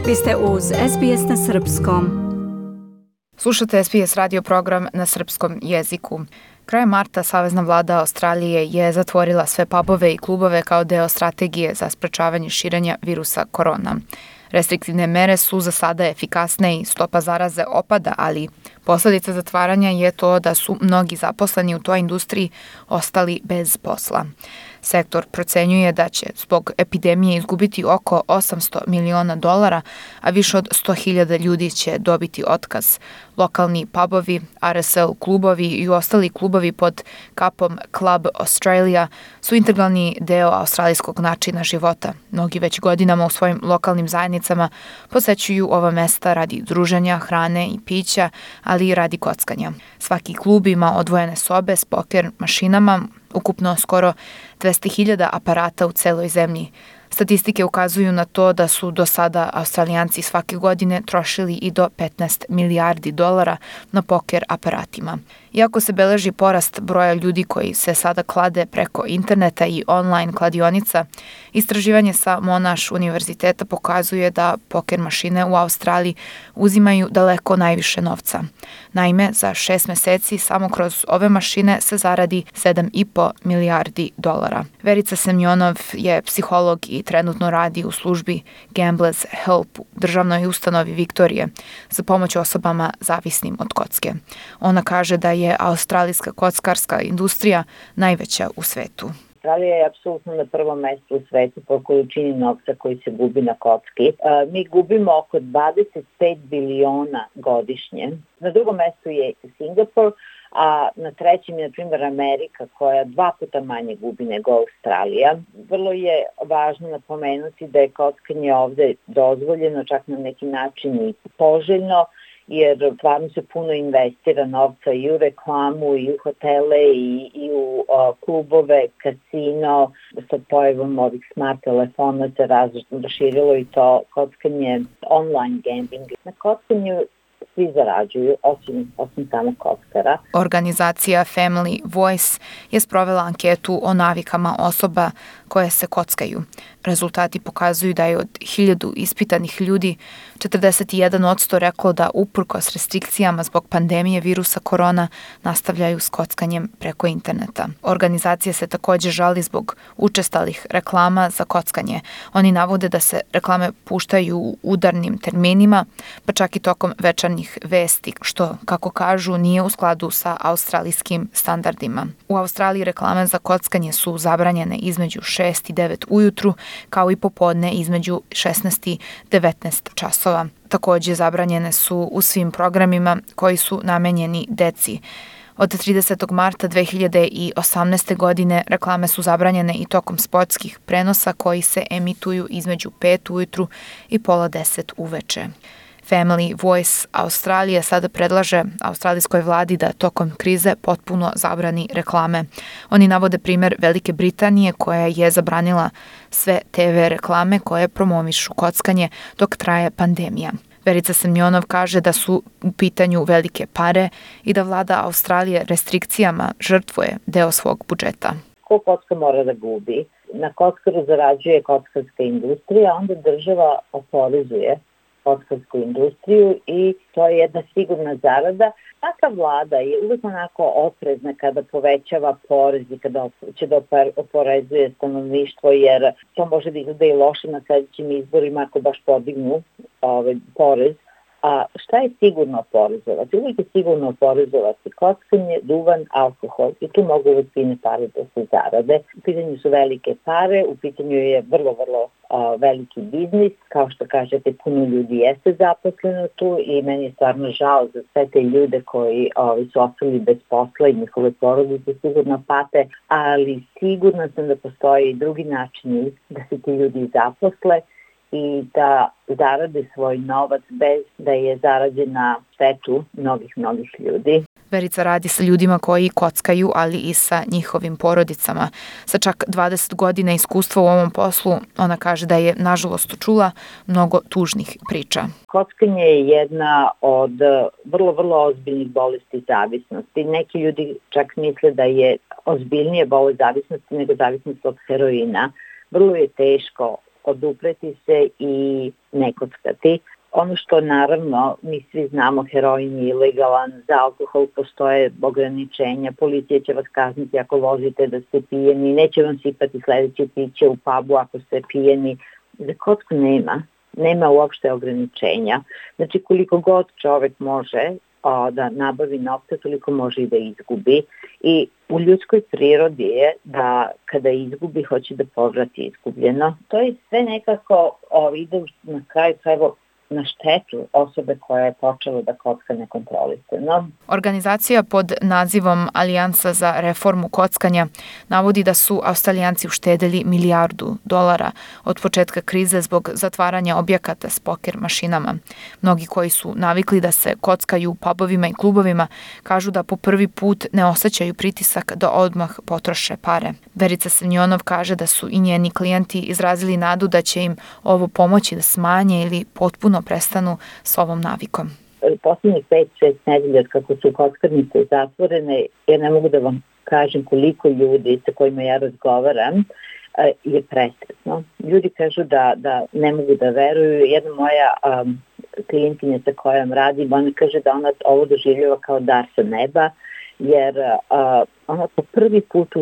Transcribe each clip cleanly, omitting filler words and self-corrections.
Vi ste uz SBS na Srpskom. Slušate SBS radio program na srpskom jeziku. Krajem marta Savezna vlada Australije je zatvorila sve pubove i klubove kao deo strategije za sprečavanje širenja virusa korona. Restriktivne mere su za sada efikasne i stopa zaraze opada, ali posledica zatvaranja je to da su mnogi zaposleni u toj industriji ostali bez posla. Sektor procenjuje da će zbog epidemije izgubiti oko $800 miliona, a više od 100.000 ljudi će dobiti otkaz. Lokalni pubovi, RSL klubovi i ostali klubovi pod kapom Club Australia su integralni deo australijskog načina života. Mnogi već godinama u svojim lokalnim zajednicama posećuju ova mesta radi druženja, hrane i pića, ali i radi kockanja. Svaki klub ima odvojene sobe s poker mašinama, ukupno skoro 200.000 aparata u celoj zemlji. Statistike ukazuju na to da su do sada Australijanci svake godine trošili i do $15 milijardi na poker aparatima. Iako se beleži porast broja ljudi koji se sada klade preko interneta i online kladionica, istraživanje sa Monash univerziteta pokazuje da poker mašine u Australiji uzimaju daleko najviše novca. Naime, za 6 meseci samo kroz ove mašine se zaradi $7,5 milijardi. Verica Semjonov je psiholog i trenutno radi u službi Gamblers Help u državnoj ustanovi Viktorije za pomoć osobama zavisnim od kocke. Ona kaže da je australijska kockarska industrija najveća u svetu. Australija je apsolutno na prvom mestu u svetu po količini novca koji se gubi na kocki. Mi gubimo oko 25 biliona godišnje. Na drugom mestu je Singapur, a na trećem je, na primjer, Amerika koja 2 puta manje gubi nego Australija. Vrlo je važno napomenuti da je kockanje ovde dozvoljeno, čak na neki način i poželjno, jer stvarno se puno investira novca i u reklamu, i u hotele, i u klubove, kasino. Sa pojavom ovih smart telefona se raširilo i to kockanje, online gambling. Na kockanju svi zarađuju, osim samo kockara. Organizacija Family Voice je sprovela anketu o navikama osoba koje se kockaju. Rezultati pokazuju da je od 1000 ispitanih ljudi 41% reklo da uprkos restrikcijama zbog pandemije virusa korona nastavljaju s kockanjem preko interneta. Organizacija se također žali zbog učestalih reklama za kockanje. Oni navode da se reklame puštaju u udarnim terminima, pa čak i tokom večernjih vesti, što, kako kažu, nije u skladu sa australijskim standardima. U Australiji reklame za kockanje su zabranjene između 6 i 9 ujutru, kao i popodne između 16 i 19 časova. Također zabranjene su u svim programima koji su namenjeni deci. Od 30. marta 2018. godine reklame su zabranjene i tokom sportskih prenosa koji se emituju između 5 ujutru i pola 10 uveče. Family Voice Australija sada predlaže australijskoj vladi da tokom krize potpuno zabrani reklame. Oni navode primjer Velike Britanije koja je zabranila sve TV reklame koje promovišu kockanje dok traje pandemija. Verica Semjonov kaže da su u pitanju velike pare i da vlada Australije restrikcijama žrtvuje deo svog budžeta. Ko kocka mora da gubi? Na kockaru zarađuje kockarska industrija, onda država oporezuje kockarsku industriju i to je jedna sigurna zarada. Taka vlada je uvijek onako oprezna kada povećava porez i kada će da oporezuje stanovništvo, jer to može da izgleda i loše na sljedećim izborima ako baš podignu porez. A šta je sigurno oporezovati? Uvijek je sigurno oporezovati kockanje, duvan, alkohol i tu mogu uvijek fine pare da se zarade. U pitanju su velike pare, u pitanju je vrlo veliki biznis. Kao što kažete, puno ljudi jeste zaposleno tu i meni je stvarno žao za sve te ljude koji su ostali bez posla i njihove porodice sigurno pate, ali sigurna sam da postoji i drugi načini da se ti ljudi zaposle i da zarade svoj novac bez da je zarađen na štetu mnogih ljudi. Verica radi sa ljudima koji kockaju, ali i sa njihovim porodicama. Sa čak 20 godina iskustva u ovom poslu, ona kaže da je nažalost čula mnogo tužnih priča. Kockanje je jedna od vrlo ozbiljnih bolesti zavisnosti. Neki ljudi čak misle da je ozbiljnije bolest zavisnosti nego zavisnost od heroina. Vrlo je teško odupreti se i ne kockati. Ono što naravno mi svi znamo, heroin je ilegalan, za alkohol postoje ograničenja, policija će vas kazniti ako vozite da ste pijeni, neće vam sipati sledeće piće u pubu ako ste pijeni. Za kocku nema uopšte ograničenja. Znači koliko god čovek može da nabavi novca, toliko može i da izgubi. I u ljudskoj prirodi je da kada izgubi, hoće da povrati izgubljeno. To je sve nekako ide na kraju krajeva na štetu osobe koja je počela da kocka nekontrolisano. Organizacija pod nazivom Alijansa za reformu kockanja navodi da su Australijanci uštedeli $1 milijardu od početka krize zbog zatvaranja objekata s poker mašinama. Mnogi koji su navikli da se kockaju u pubovima i klubovima kažu da po prvi put ne osjećaju pritisak da odmah potroše pare. Verica Semjonov kaže da su i njeni klijenti izrazili nadu da će im ovo pomoći da smanje ili potpuno prestanu s ovom navikom. Poslednjih 5-6 nedelja kako su kockarnice zatvorene, ja ne mogu da vam kažem koliko ljudi sa kojima ja razgovaram je presretno. Ljudi kažu da ne mogu da veruju. Jedna moja klijentinja sa kojom radim, ona kaže da ona ovo doživljava kao dar sa neba, jer ona po prvi put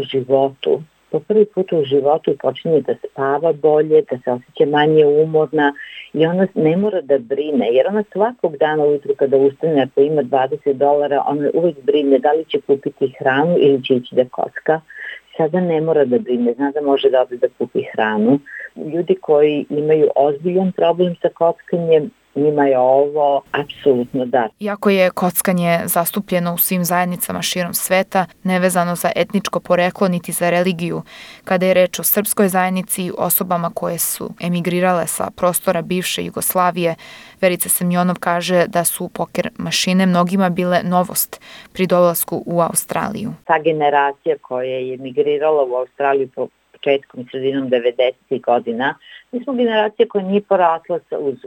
u životu počinje da spava bolje, da se osjeća manje umorna i ona ne mora da brine, jer ona svakog dana ujutru kada ustane, ako ima $20, ona uvijek brine da li će kupiti hranu ili će ići da kocka. Sada ne mora da brine, zna da može da ode da kupi hranu. Ljudi koji imaju ozbiljan problem sa kockanjem, njima je ovo apsolutno dar. Iako je kockanje zastupljeno u svim zajednicama širom sveta, nevezano za etničko poreklo niti za religiju, kada je reč o srpskoj zajednici, osobama koje su emigrirale sa prostora bivše Jugoslavije, Verica Semjonov kaže da su poker mašine mnogima bile novost pri dolasku u Australiju. Ta generacija koja je emigrirala u Australiju početkom i sredinom 90. godina, mi smo generacija koja nije porasla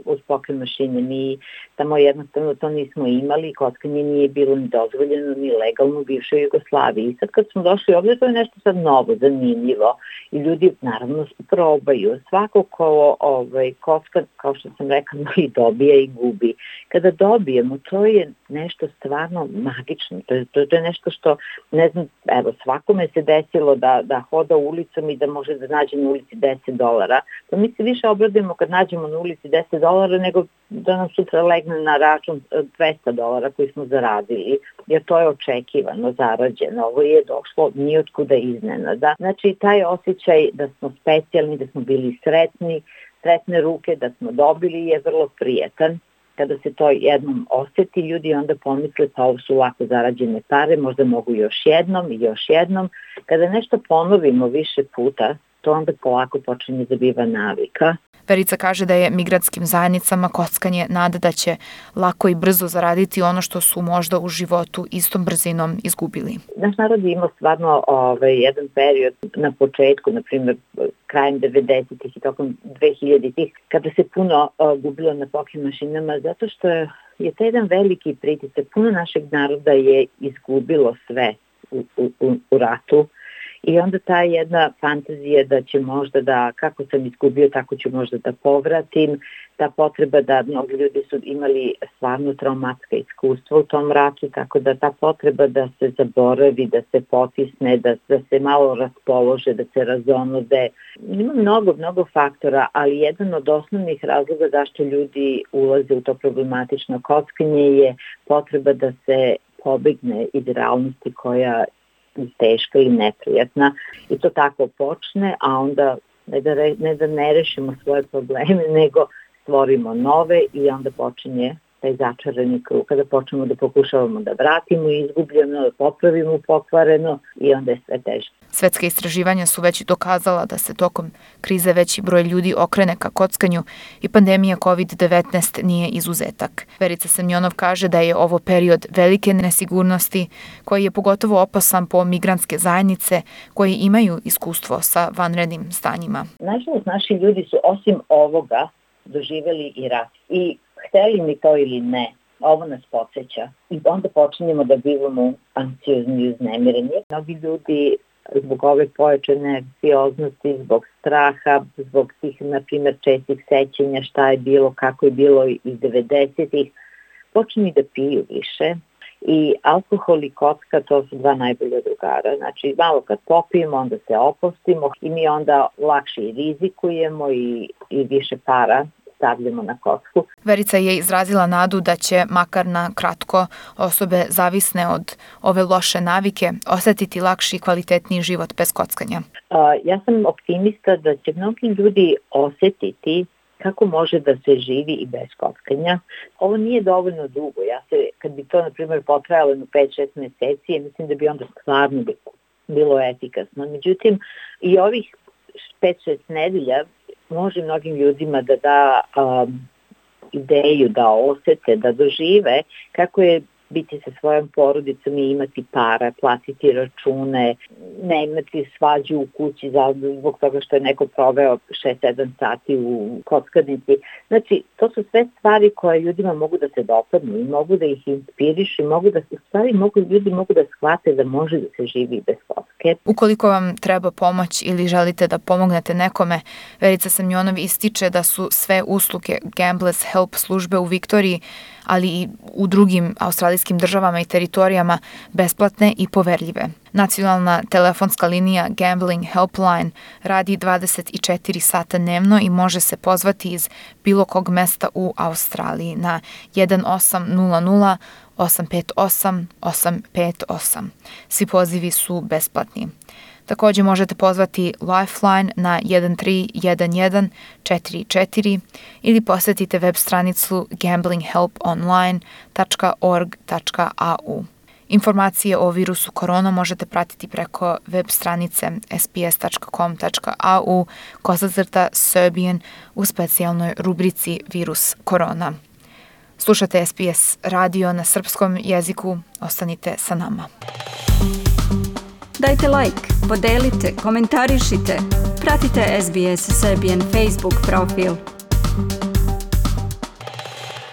uz poker mašine. Mi tamo jednostavno to nismo imali, kockanje nije bilo ni dozvoljeno, ni legalno u bivšoj Jugoslaviji. I sad kad smo došli ovdje, to je nešto sad novo, zanimljivo. I ljudi naravno probaju. Svako ko kocka, kao što sam rekla, i dobije i gubi. Kada dobijemo, to je nešto stvarno magično. To je nešto što, ne znam, evo, svakome se desilo da hoda ulicom i da može da nađe na ulici $10. Pa mi se više obradujemo kad nađemo na ulici $10 nego da nam sutra legne na račun $200 koji smo zaradili, jer to je očekivano, zarađeno. Ovo je došlo nijotkuda iznenada. Znači, taj osjećaj da smo specijalni, da smo bili sretne ruke, da smo dobili je vrlo prijetan. Kada se to jednom osjeti, ljudi onda pomisle pa ovo su lako zarađene pare, možda mogu još jednom i još jednom. Kada nešto ponovimo više puta, to onda polako počinje da biva navika. Verica kaže da je migratskim zajednicama kockanje nada da će lako i brzo zaraditi ono što su možda u životu istom brzinom izgubili. Naš narod je imao stvarno jedan period na početku, na primjer krajem 90-ih i tokom 2000-ih, kada se puno gubilo na poker mašinama, zato što je to jedan veliki pritisak. Puno našeg naroda je izgubilo sve u ratu. I onda ta jedna fantazija da će možda da, kako sam izgubio, tako ću možda da povratim, ta potreba da mnogi ljudi su imali stvarno traumatska iskustva u tom ratu, tako da ta potreba da se zaboravi, da se potisne, da se malo raspolože, da se razonode. Ima mnogo faktora, ali jedan od osnovnih razloga zašto ljudi ulaze u to problematično kockanje je potreba da se pobegne iz realnosti koja teška i neprijatna i to tako počne, a onda ne da ne rešimo svoje probleme, nego stvorimo nove i onda počinje taj začarani krug, kada počnemo da pokušavamo da vratimo izgubljeno, da popravimo pokvareno i onda je sve teže. Svetska istraživanja su već dokazala da se tokom krize veći broj ljudi okrene ka kockanju i pandemija COVID-19 nije izuzetak. Verica Semjonov kaže da je ovo period velike nesigurnosti koji je pogotovo opasan po migrantske zajednice koji imaju iskustvo sa vanrednim stanjima. Nažalost, naši ljudi su osim ovoga doživjeli i rat. I hteli mi to ili ne, ovo nas podsjeća. I onda počinjemo da bivamo anksiozni i uznemireni. Mnogi ljudi zbog ove pojačane anksioznosti, zbog straha, zbog tih, na primjer, čestih sećenja šta je bilo, kako je bilo iz 90-ih, počinju da piju više. I alkohol i kocka, to su dva najbolja drugara. Znači, malo kad popijemo, onda se opustimo i mi onda lakše i rizikujemo i više para stavljamo na kocku. Verica je izrazila nadu da će, makar na kratko, osobe zavisne od ove loše navike osetiti lakši i kvalitetniji život bez kockanja. Ja sam optimista da će mnogi ljudi osetiti kako može da se živi i bez kockanja. Ovo nije dovoljno dugo. Kad bi to, na primjer, potrajalo 5-6 meseci, mislim da bi onda stvarno bilo efikasno. Međutim, i ovih 5-6 nedelja može mnogim ljudima da da ideju, da osete, da dožive kako je biti sa svojom porodicom i imati para, platiti račune, ne imati svađu u kući zbog toga što je neko proveo 6-7 sati u kockarnici. Znači, to su sve stvari koje ljudima mogu da se dopadnu i mogu da ih inspirišu, ljudi mogu da shvate da može da se živi bez kocke. Ukoliko vam treba pomoć ili želite da pomognete nekome, Verica Semjonov ističe da su sve usluge Gamblers Help službe u Viktoriji, ali i u drugim australijskim državama i teritorijama besplatne i poverljive. Nacionalna telefonska linija Gambling Helpline radi 24 sata dnevno i može se pozvati iz bilo kog mesta u Australiji na 1800 858 858. Svi pozivi su besplatni. Također možete pozvati Lifeline na 131144 ili posjetite web stranicu gamblinghelponline.org.au. Informacije o virusu korona možete pratiti preko web stranice sps.com.au/Serbian u specijalnoj rubrici Virus korona. Slušate SBS radio na srpskom jeziku. Ostanite sa nama. Dajte like, podelite, komentarišite. Pratite SBS Serbian Facebook profil.